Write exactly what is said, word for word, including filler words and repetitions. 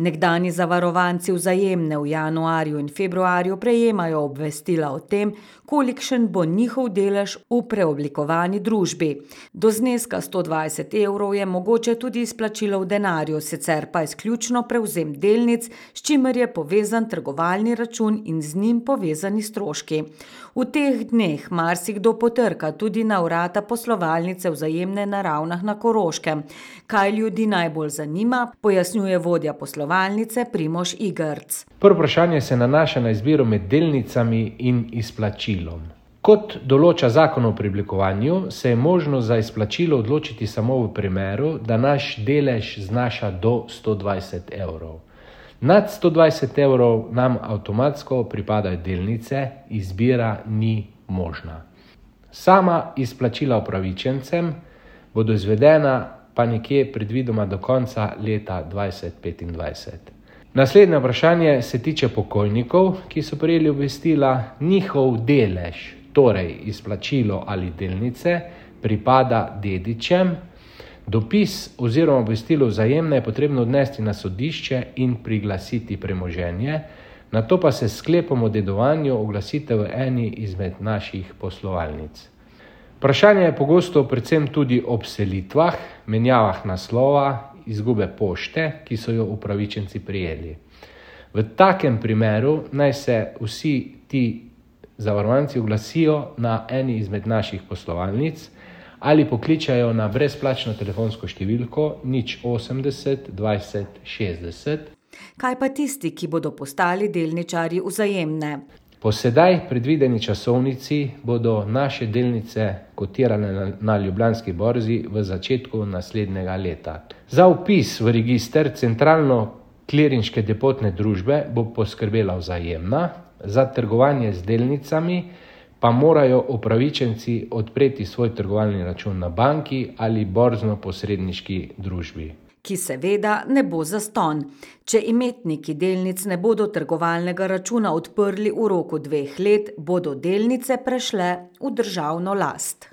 Nekdanji zavarovanci Vzajemne v januarju in februarju prejemajo obvestila o tem, kolikšen bo njihov delež v preoblikovani družbi. Do zneska sto dvajset evrov je mogoče tudi izplačilo v denarju, sicer pa izključno prevzem delnic, s čimer je povezan trgovalni račun in z njim povezani stroški. V teh dneh marsikdo potrka tudi na vrata poslovalnice Vzajemne na Ravnah na Koroškem. Kaj ljudi najbolj zanima, pojasnjuje vodja poslovalnice Primož Igrc. Prvo vprašanje se nanaša na izbiro med delnicami in izplačilom. Kot določa zakon o preoblikovanju, se je možno za izplačilo odločiti samo v primeru, da naš delež znaša do sto dvajset evrov. Nad sto dvajset evrov nam avtomatsko pripadajo delnice, izbira ni možna. Sama izplačila upravičencem bodo izvedena pa nekje predvidoma do konca leta dvajset petindvajset. Naslednje vprašanje se tiče pokojnikov, ki so prejeli obvestila. Njihov delež, torej izplačilo ali delnice, pripada dedičem. Dopis oziroma obvestilo Vzajemne je potrebno odnesti na sodišče in priglasiti premoženje, nato pa se s sklepom o dedovanju oglasite v eni izmed naših poslovalnic. Vprašanje je pogosto predvsem tudi ob selitvah, menjavah naslova, izgube pošte, ki so jo upravičenci prejeli. V takem primeru naj se vsi ti zavarovanci oglasijo na eni izmed naših poslovalnic ali pokličajo na brezplačno telefonsko številko nič osemdeset dvajset šestdeset. Kaj pa tisti, ki bodo postali delničarji Vzajemne? Po sedaj predvideni časovnici bodo naše delnice kotirane na, na Ljubljanski borzi v začetku naslednjega leta. Za vpis v register centralno klirinške depotne družbe bo poskrbela Vzajemna, za trgovanje z delnicami pa morajo upravičenci odpreti svoj trgovalni račun na banki ali borzno-posredniški družbi. Ki seveda ne bo zastonj. Če imetniki delnic ne bodo trgovalnega računa odprli v roku dveh let, bodo delnice prešle v državno last.